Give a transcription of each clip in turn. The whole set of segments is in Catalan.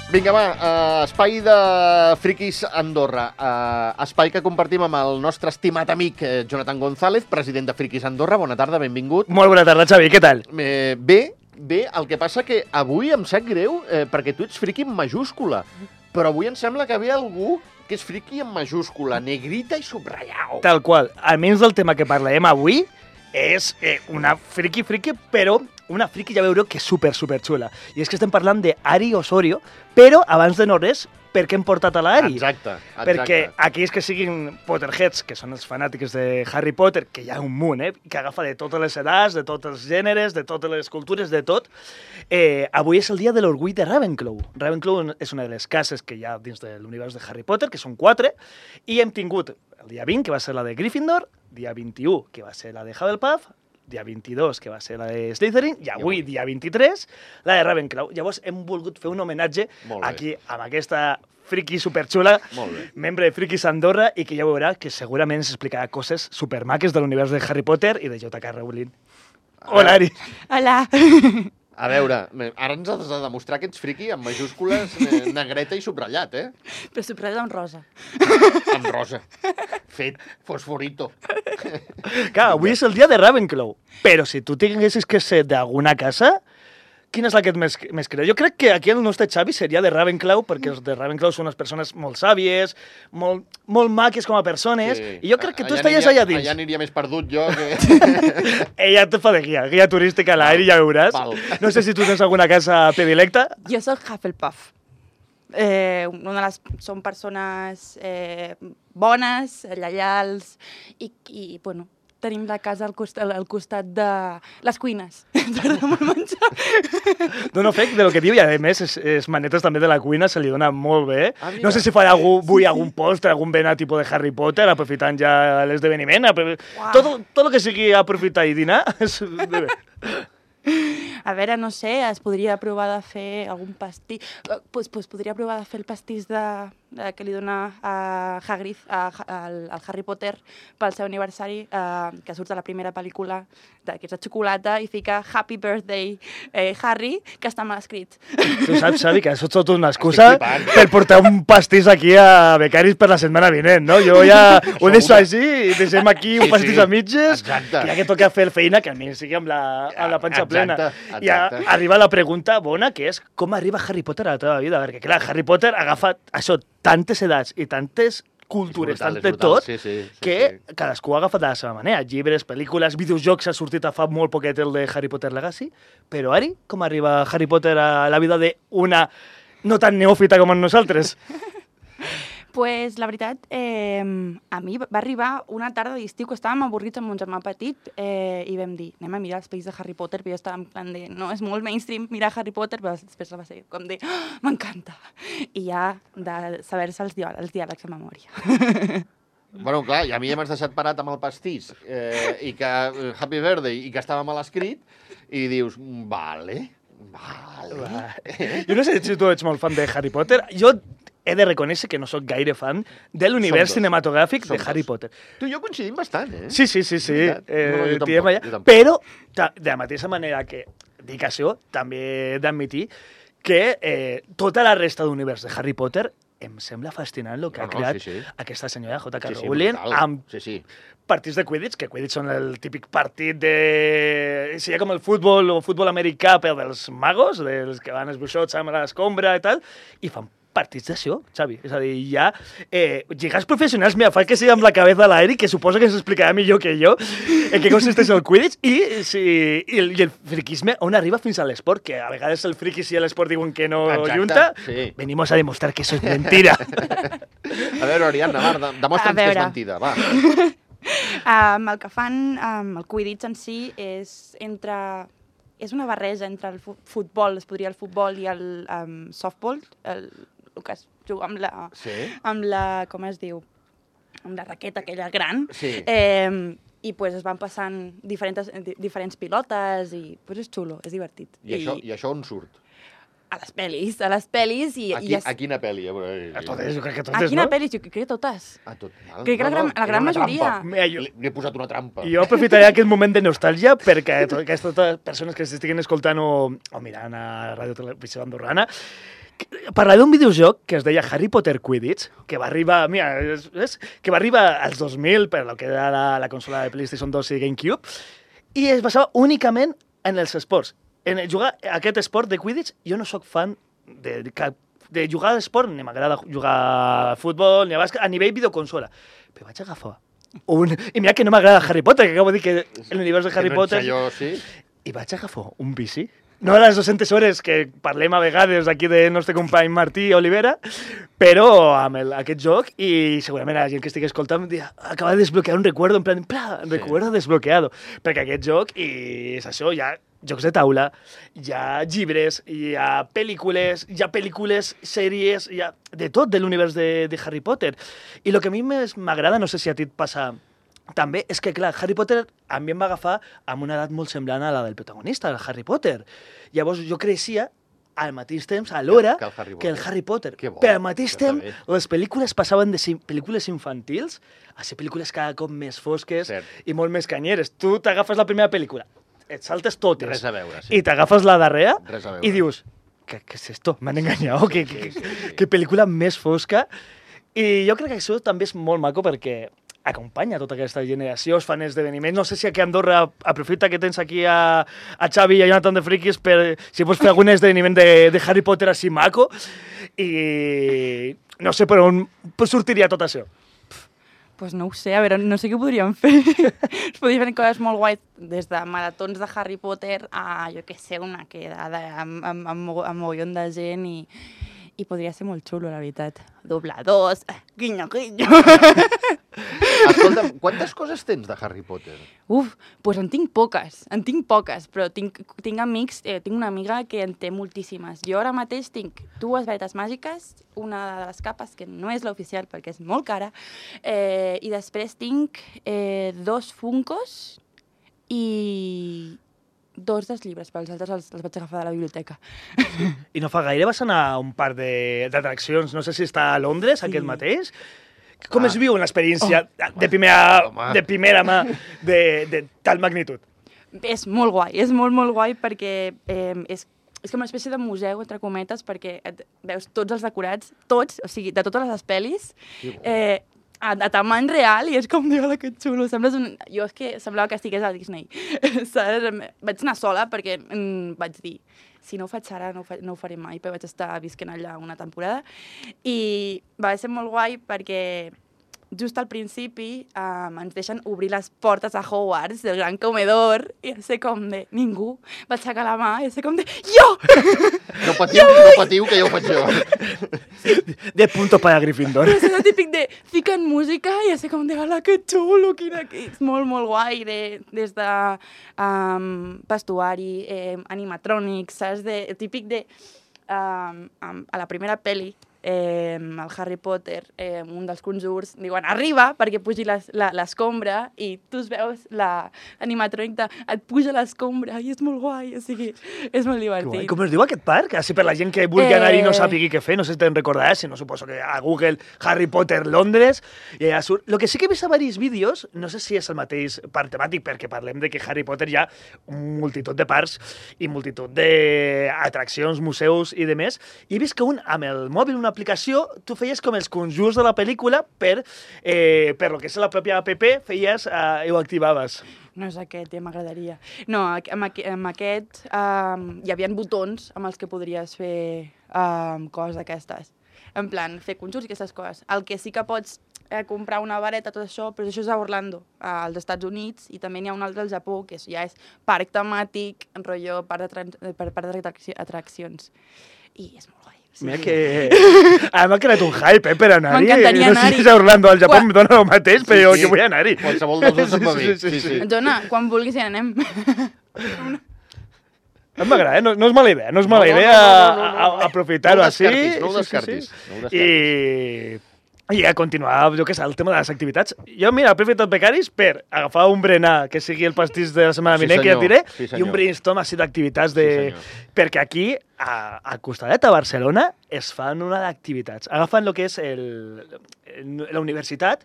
Vinga, va, espai de Friquis Andorra. Espai que compartim amb el nostre estimat amic Jonathan González, president de Friquis Andorra. Bona tarda, benvingut. Molt bona tarda, Xavi, què tal? Bé, el que passa que avui em sap greu perquè tu ets friqui en majúscula, però avui em sembla que ve algú que és friqui en majúscula, negrita i subratllau. Tal qual. Almenys del tema que parlarem avui és una friki, però una friki ja veureu que és super xula. I és que estem parlant d'Ari Osorio, però abans de no res, per què hem portat a l'Ari? Exacte. Perquè aquells que siguin Potterheads, que són els fanàtics de Harry Potter, que hi ha un munt, que agafa de totes les edats, de tots els gèneres, de totes les cultures, de tot, avui és el dia de l'orgull de Ravenclaw. Ravenclaw és una de les cases que hi ha dins de l'univers de Harry Potter, que són 4, i hem tingut el dia 20, que va ser la de Gryffindor, dia 21, que va ser la de Hufflepuff, dia 22, que va ser la de Slytherin, i avui, dia 23, la de Ravenclaw. Llavors hem volgut fer un homenatge aquí, amb aquesta friki superxula, membre de Friquis Andorra, i que ja veurà que segurament ens explicarà coses supermaques de l'univers de Harry Potter i de J.K. Rowling. Hola, Ari. Hola. A veure, ara ens has de demostrar que ets friqui amb majúscules, negreta i subratllat, Però subratllat amb rosa. Amb rosa. Fet fosforito. Clar, avui és el dia de Ravenclaw, però si tu tinguessis que ser d'alguna casa, quina és la que et més creu? Jo crec que aquí el nostre Xavi seria de Ravenclaw, perquè els de Ravenclaw són unes persones molt sàvies, molt maques com a persones, i jo crec que tu estaries allà dins. Allà aniria més perdut jo que... Ella te fa de guia turística a l'aire, ja veuràs. No sé si tu tens alguna casa predilecta. Jo soc Hufflepuff. Són persones bones, lleials, i bueno, tenim la casa al costat de les cuines. Ens agrada molt menjar. Dono fe de lo que diu, i a més, les manetes també de la cuina se li donen molt bé. No sé si farà algun postre, algun benar tipus de Harry Potter, aprofitant ja l'esdeveniment. Tot el que sigui aprofitar i dinar és bé. A veure, no sé, es podria provar de fer algun pastís. Podria provar de fer el pastís que li dona a Hagrid, al Harry Potter, pel seu aniversari, que surt a la primera pel·lícula, que és de xocolata, i fica Happy Birthday Harry, que està mal escrit. Tu saps, Xavi, que això és tot una excusa per portar un pastís aquí a Becaris per la setmana vinent, no? Jo ja ho deixo així i deixem aquí un pastís a mitges, que ja que toca fer feina, que almenys sigui amb la panxa plena. I arriba la pregunta bona, que és com arriba Harry Potter a la teva vida? Perquè, clar, Harry Potter ha agafat això, tantes edats i tantes cultures, tant de tot, que cadascú ha agafat de la seva manera. Llibres, pel·lícules, videojocs, ha sortit a fa molt poquet el de Harry Potter Legacy, però Ari, com arriba Harry Potter a la vida d'una no tan neòfita com nosaltres? Pues la veritat, a mi va arribar una tarda d'estiu que estàvem avorrits amb mon germà petit i vam dir, anem a mirar els pel·lis de Harry Potter, però jo estava en plan de, no, és molt mainstream mirar Harry Potter, però després va ser com de, m'encanta. I ja de saber-se els diàlegs de memòria. Bueno, clar, i a mi ja m'has deixat parat amb el pastís i que Happy Birthday i que estava mal escrit i dius, vale. Jo no sé si tu ets molt fan de Harry Potter. Jo he de reconèixer que no sóc gaire fan de l'univers cinematogràfic de Harry Potter. Tu i jo coincidim bastant, Sí. Jo tampoc. Però, de la mateixa manera que dic això, també he d'admitir que tota la resta d'univers de Harry Potter em sembla fascinant el que ha creat aquesta senyora J.K. Rowling amb partits de Quidditch, que Quidditch són el típic partit de... Seria com el futbol o futbol americà per dels magos, dels que van esbuixots amb l'escombra i tal, i fan partits d'això, Xavi. És a dir, hi ha lligats professionals, mira, fa que sigui amb la cabeza a l'aire, que suposo que ens explicarà millor que jo en què consisteix el Quidditch, i el friquisme on arriba fins a l'esport, que a vegades el friquis i l'esport diuen que no junta. Venimos a demostrar que eso es mentira. A veure, Ariadna, demostra'ns que és mentida, va. El que fan amb el Quidditch en si és una barreja entre el futbol, es podria el futbol i el softball, el que es juga amb la, com es diu, amb la raqueta aquella gran, i es van passant diferents pilotes i és xulo, és divertit. I això on surt? A les pel·lis i... A quina pel·li? A totes, jo crec que totes, no? A quina pel·li? Jo crec que totes. A tot. Crec que la gran majoria. Li he posat una trampa. Jo aprofitaré aquest moment de nostàlgia perquè aquestes persones que s'estiguin escoltant o mirant a Ràdio Televisió Andorrana Parlava d'un videojoc que es deia Harry Potter Quidditch, que va arribar, que va arribar als 2000 per lo que era la consola de PlayStation 2 i GameCube, i es basava únicament en els esports. En jugar aquest esport de Quidditch, jo no sóc fan de jugar a l'esport, ni m'agrada jugar a futbol, ni a bàsquet, a nivell videoconsola. Però vaig agafar I mira que no m'agrada Harry Potter, que acabo de dir que l'univers de Harry Potter... Jo, sí. I vaig agafar un bici. No a les 200 hores que parlem a vegades aquí del nostre company Martí Olivera, però amb aquest joc, i segurament la gent que estigui escoltant dirà, acaba de desbloquear un recuerdo, en plan, recuerdo desbloqueado, perquè aquest joc, i és això, hi ha jocs de taula, hi ha llibres, hi ha pel·lícules, sèries, hi ha de tot de l'univers de Harry Potter. I el que a mi més m'agrada, no sé si a ti et passa també, és que, clar, Harry Potter a mi em va agafar amb una edat molt semblant a la del protagonista, el Harry Potter. Llavors jo creixia al mateix temps, alhora, que el Harry Potter. Però al mateix temps, les pel·lícules passaven de pel·lícules infantils a ser pel·lícules cada cop més fosques i molt més canyeres. Tu t'agafes la primera pel·lícula, et saltes totes. Res a veure, sí. I t'agafes la darrera i dius, què és esto? M'han enganyat? Que pel·lícula més fosca? I jo crec que això també és molt maco perquè acompanya tota aquesta generació, es fan esdeveniments. No sé si aquí a Andorra aprofita que tens aquí a Xavi i a Jonathan de Frikis per si pots fer algun esdeveniment de Harry Potter així maco. I no sé per on sortiria tot això. Pues no ho sé, a veure, no sé què podríem fer. Es podrien fer coses molt guais, des de maratons de Harry Potter a, jo què sé, una quedada amb mogollon de gent i podria ser molt xulo, la veritat. Dobladors, guinyo, guinyo. Escolta'm, quantes coses tens de Harry Potter? Pues en tinc poques, però tinc amics, tinc una amiga que en té moltíssimes. Jo ara mateix tinc 2 varetes màgiques, una de les capes, que no és l'oficial perquè és molt cara, i després tinc 2 Funkos i 2 dels llibres, però els altres els vaig agafar de la biblioteca. I no fa gaire vas anar a un parc d'atraccions, no sé si està a Londres, aquest mateix. Com es viu una experiència de primera mà de tal magnitud? És molt guai, és molt guai perquè és com una espècie de museu, entre cometes, perquè veus tots els decorats, tots, o sigui, de totes les pel·lis, a tamany real, i és com, Déu, que xulo. Jo és que semblava que estigués a Disney. Vaig anar sola perquè vaig dir, si no ho faig ara, no ho faré mai, però vaig estar visquent allà una temporada. I va ser molt guai perquè just al principi ens deixen obrir les portes a Hogwarts, del gran comedor, i ja sé com de ningú va aixecar la mà, i ja sé com de jo! No patiu, que ja ho faig jo. De punto para Gryffindor. És el típic de fiquen música i ja sé com de ala, que xulo, és molt guai, des de vestuari, animatrònics, saps? El típic de a la primera pel·li, el Harry Potter, un dels conjurs, diuen arriba perquè pugi l'escombra i tu veus l'animatrònic et puja l'escombra i és molt guai, o sigui, és molt divertit. Com es diu aquest parc? Així per la gent que vulgui anar-hi i no sàpigui què fer, no sé si te'n recordaràs, si no suposo que a Google Harry Potter Londres i allà surt. Lo que sí que he vist a diversos vídeos, no sé si és el mateix parc temàtic, perquè parlem de que Harry Potter hi ha multitud de parcs i multitud d'atraccions, museus i demés, i he vist que amb el mòbil, una aplicació, tu feies com els conjurs de la pel·lícula per lo que és la pròpia app, feies i ho activaves. No és aquest, ja m'agradaria. No, amb aquest hi havia botons amb els que podries fer coses d'aquestes. En plan, fer conjurs i aquestes coses. El que sí que pots comprar una vareta, tot això, però això és a Orlando, als Estats Units, i també n'hi ha un altre al Japó, que ja és parc temàtic, rotllo parc d'atraccions. I és molt guai. Mira que... m'ha creat un hype, per anar-hi. M'encantaria anar-hi. No sé si és a Orlando, al Japó, em dona el mateix, però jo vull anar-hi. Qualsevol dels dos em va bé. Sí. Dona, quan vulguis ja anem. M'agrada, no és mala idea, no és mala idea aprofitar-ho així. No ho descartis. I a continuar, jo què sé, el tema de les activitats. Jo, mira, he aprofitat becaris per agafar un berenar, que sigui el pastís de la setmana vinent, que ja et diré, i un brainstorm així d'activitats perquè aquí, al costadet a Barcelona, es fan una d'activitats. Agafen el que és la universitat,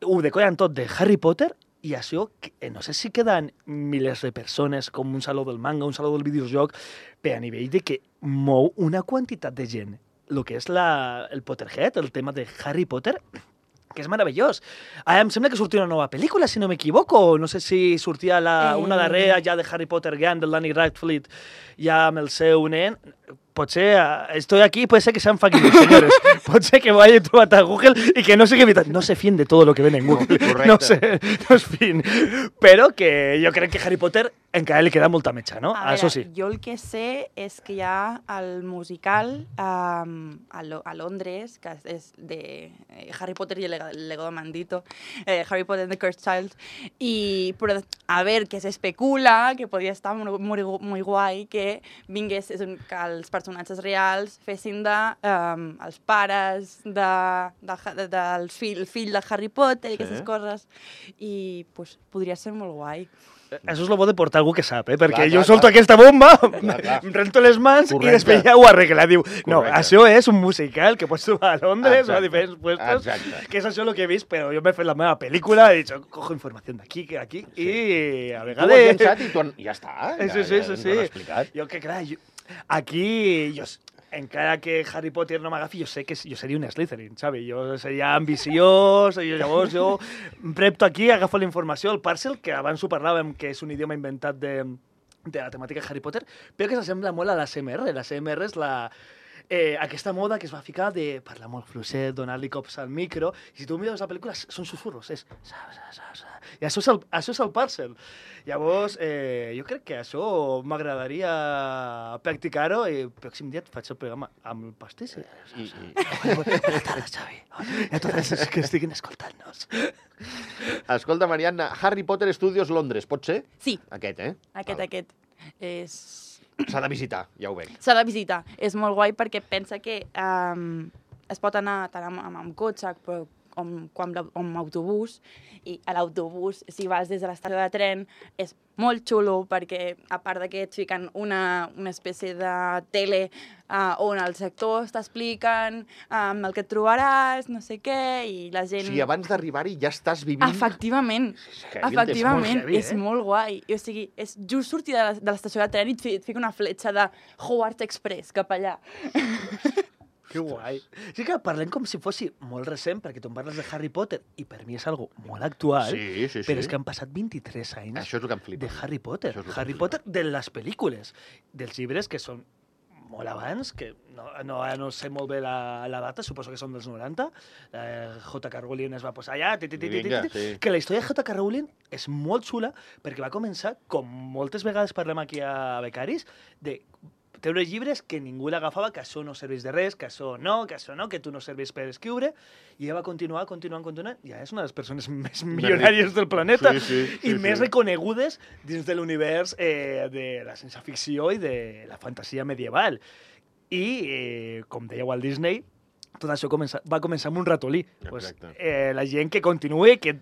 ho decoren tot de Harry Potter I això, no sé si queden milers de persones com un saló del manga, un saló del videojoc, però a nivell de que mou una quantitat de gent. El que és el Potterhead, el tema de Harry Potter, que és meravellós. Em sembla que sortia una nova pel·lícula, si no m'equivoco. No sé si sortia una darrera ja de Harry Potter Gang, del Danny Radcliffe, ja amb el seu nen. Potser estoy aquí, puede ser que sean fake news, señores. Pot ser que vaya trobat a Google y que no sé qué... No se fíen de todo lo que ven en Google. No sé, no es fin. Però que jo crec que Harry Potter encara li queda molta metxa, no? A Això veure, sí. jo el que sé és que hi ha el musical a Londres, que és de Harry Potter i el legado maldito, Harry Potter and the Cursed Child, però a veure, que s'especula que podria estar molt guai que vingués, que els personatges reals fessin els pares del fill de Harry Potter i aquestes coses, i pues, podria ser molt guai. Això és el bo de portar algú que sap, perquè jo solto aquesta bomba, em rento les mans i després ja ho arregla. Diu, no, això és un musical que pots trobar a Londres o a diferents puestos, que és això el que he vist, però jo m'he fet la meva pel·lícula, he dit, cojo informació d'aquí, aquí, i a vegades... Tu ho has llançat i ja està. Sí. Jo que, clar, aquí... Encara que Harry Potter no m'agafi, jo sé que jo seria un Slytherin, saps? Jo seria ambiciós, llavors jo em prepto aquí, agafo la informació, el parcel, que abans ho parlàvem, que és un idioma inventat de la temàtica Harry Potter, però que s'assembla molt a l'ASMR. L'ASMR és aquesta moda que es va ficar de parlar molt fluixet, donar-li cops al micro, i si tu mires la pel·lícula són susurros, és... I això és el parcel. Llavors, jo crec que això m'agradaria practicar-ho i el pròxim dia et faig el programa amb el pastís. Buenas tardes, Xavi. I a tots els que estiguin escoltant-nos. Escolta, Marianna, Harry Potter Studios Londres, pot ser? Sí. Aquest, Aquest. S'ha de visitar, ja ho veig. S'ha de visitar. És molt guai perquè pensa que es pot anar tant amb cotxe com amb autobús, i a l'autobús, si vas des de l'estació de tren, és molt xulo perquè, a part que et fiquen una espècie de tele on els actors t'expliquen el que et trobaràs, no sé què, i la gent... O sigui, abans d'arribar-hi ja estàs vivint... Efectivament, és molt guai. O sigui, és just sortir de l'estació de tren i et fica una fletxa de Hogwarts Express cap allà. Que guai. Sí que parlem com si fos molt recent, perquè tu em parles de Harry Potter, i per mi és algo molt actual, però és que han passat 23 anys això és el que em flipa, de Harry Potter. Harry Potter de les pel·lícules, dels llibres que són molt abans, que no sé molt bé la data, suposo que són dels 90, J.K. Rowling es va posar allà, que la història de J.K. Rowling és molt xula, perquè va començar, com moltes vegades parlem aquí a Becaris, de treure llibres que ningú l'agafava, que això no serveix de res, que això no, que tu no serveix per escriure, i ella va continuant, ja és una de les persones més milionàries del planeta i més reconegudes dins de l'univers de la ciència-ficció i de la fantasia medieval. I, com deia Walt Disney, tot això va començar amb un ratolí. La gent que continuï, que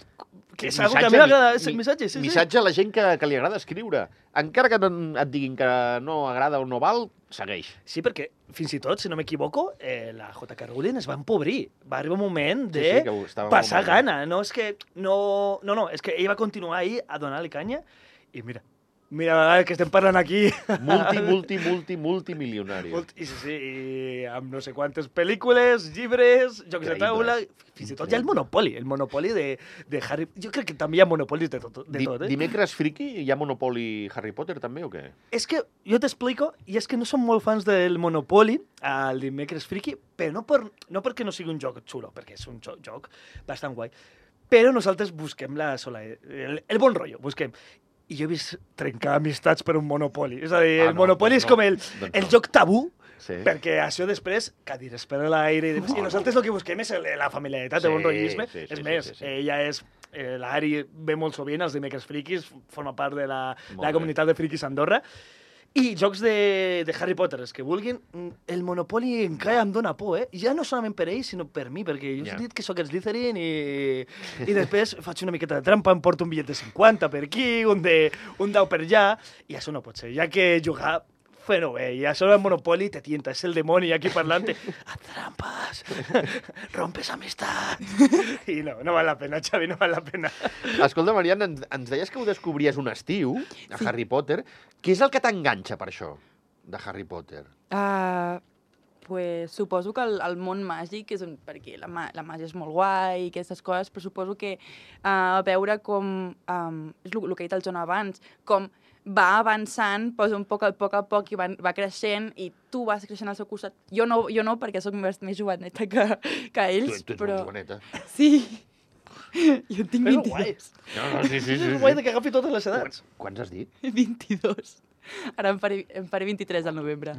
és una cosa que a mi m'agrada, és el missatge. Missatge a la gent que li agrada escriure. Encara que et diguin que no agrada o no val, segueix. Sí, perquè fins i tot, si no m'equivoco, la J.K. Rowling es va empobrir. Va arribar un moment de passar gana. No, és que és que ella va continuar ahí a donar-li canya i mira, que estem parlant aquí... Multimilionari. I amb no sé quantes pel·lícules, llibres, jocs de taula... Fins i tot hi ha el monopoli de Harry... Jo crec que també hi ha monopolis de tot. Dimecres friki, hi ha monopoli Harry Potter també o què? És que jo t'explico, i és que no som molt fans del monopoli, el dimecres friki, però no perquè no sigui un joc xulo, perquè és un joc bastant guai, però nosaltres busquem el bon rotllo, busquem. I jo he vist trencar amistats per un monopoli. És a dir, el monopoli és com el joc tabú, perquè això després, cadires per l'aire, i nosaltres el que busquem és la familiaritat, el bon rotllisme. És més, l'Ari ve molt sovint, els dimecres friquis, forma part de la comunitat de friquis a Andorra, i jocs de Harry Potter, els que vulguin, el monopoli encara em dóna por, ja no solament per ells, sinó per mi, perquè jo he dit que sóc Slytherin i després faig una miqueta de trampa, em porto un bitllet de 50 per aquí, un 10 per allà, i això no pot ser, ja que jugar Bueno, ya solo el Monopoly te tienta, es el demonio aquí parlante. Haz trampas, rompes amistad. I no val la pena, Xavi, no val la pena. Escolta, Mariana, ens deies que ho descobries un estiu, a Harry Potter. Què és el que t'enganxa per això, de Harry Potter? Pues suposo que el món màgic és perquè la màgia és molt guai i aquestes coses, però suposo que veure com, és el que ha dit el John abans, com va avançant pues, a poc i va creixent i tu vas creixent al seu costat. Jo no perquè sóc més joveneta que ells, tu ets però... molt joveneta. Sí. Jo tinc 22. No, sí. És guai que agafi totes les edats. Quants has dit? 22. Ara em faré 23 al novembre.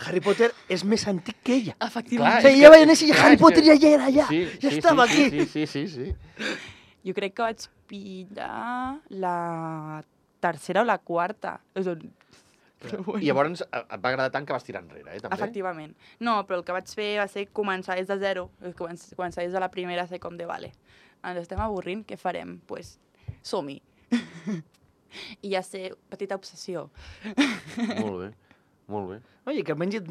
Harry Potter és més antic que ella. Efectivament. Ella va néixer i Harry Potter ja era allà. Ja estava aquí. Sí. Jo crec que vaig pillar la tercera o la quarta. Però bueno. I llavors et va agradar tant que vas tirar enrere, també? Efectivament. No, però el que vaig fer va ser començar des de zero. Començar des de la primera, ser com de, vale, ens estem avorrint, què farem? Doncs pues, som-hi. I ja sé, petita obsessió. Molt bé. Oye, que almenys,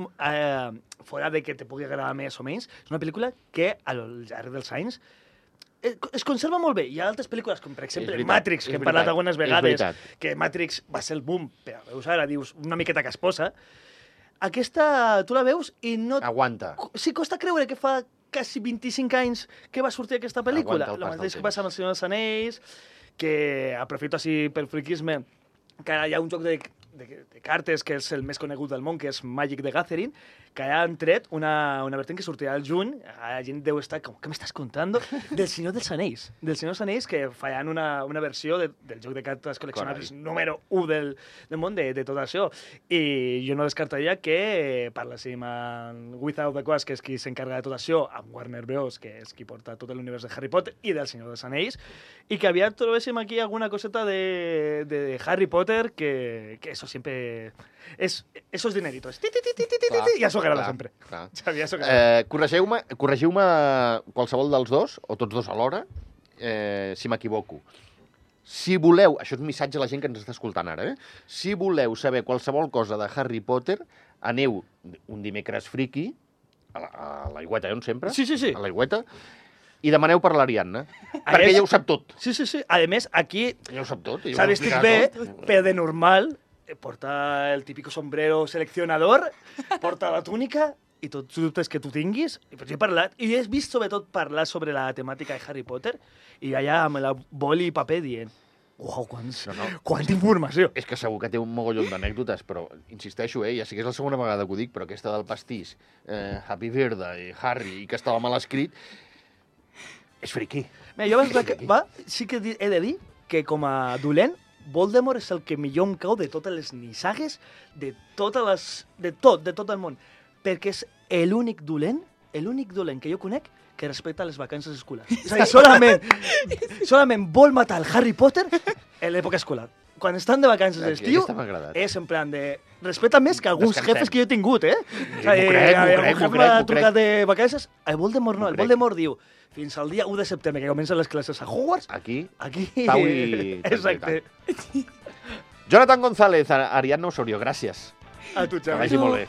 fora de que te pugui agradar més o menys, és una pel·lícula que, al llarg dels anys, es conserva molt bé. Hi ha altres pel·lícules, com per exemple Matrix, que hem parlat algunes vegades, que Matrix va ser el boom, però veus ara, dius, una miqueta casposa. Aquesta, tu la veus i no... Aguanta. Sí, costa creure que fa quasi 25 anys que va sortir aquesta pel·lícula. Aguanta el pas El mateix del que passa amb El Senyor dels Anells, que aprofito així pel friquisme, que ara hi ha un joc de cartes que és el més conegut del món, que és Magic the Gathering, que han tret una vertent que sortirà al juny, la gent deu estar com, què m'estàs contant? Del Senyor dels Anells. Del Senyor dels Anells, que faran una versió del joc de cartes col·leccionables número 1 del món de tot això. I jo no descartaria que parléssim amb Wizard of the Coast, que és qui s'encarga de tot això, amb Warner Bros., que és qui porta tot l'univers de Harry Potter i del Senyor dels Anells, i que aviat trobéssim aquí alguna coseta de Harry Potter, que eso siempre... esos dineritos. Ja s'ho agrada sempre. Xavi, ja s'ho agrada. Corregiu-me qualsevol dels dos, o tots dos alhora, si m'equivoco. Si voleu, això és un missatge a la gent que ens està escoltant ara, si voleu saber qualsevol cosa de Harry Potter, aneu un dimecres friki, a l'aigüeta, on sempre? Sí. A l'aigüeta, i demaneu per l'Ariadna, perquè ella ho sap tot. Sí. A més, aquí Ella ho sap tot. s'ha vestit bé, però de normal, porta el típico sombrero seleccionador, porta la túnica i tots els dubtes que tu tinguis. I jo he parlat, i he vist sobretot parlar sobre la temàtica de Harry Potter, i allà amb la boli i paper dient uau, quanta informació. És que segur que té un mogollon d'anècdotes, però insisteixo, ja sé que és la segona vegada que ho dic, però aquesta del pastís, Happy Birthday, Harry, i que estava mal escrit, és friqui. Jo sí que he de dir que com a dolent, Voldemort és el que millor em cau de totes les nissagues, de tot el món. Perquè és l'únic dolent que jo conec que respecta les vacances escolars. És a dir, solament vol matar el Harry Potter en l'època escolar. Quan estan de vacances d'estiu, és en plan de... Respecta més que alguns jefes que jo he tingut, M'ho crec. Trucat de vacances, el Voldemort no. El Voldemort diu, fins al dia 1 de setembre, que comencen les classes a Hogwarts... Aquí. Pau i... Exacte. Jonathan González, Ariadna Osorio, gràcies. A tu, Xavi. Que vagi molt bé.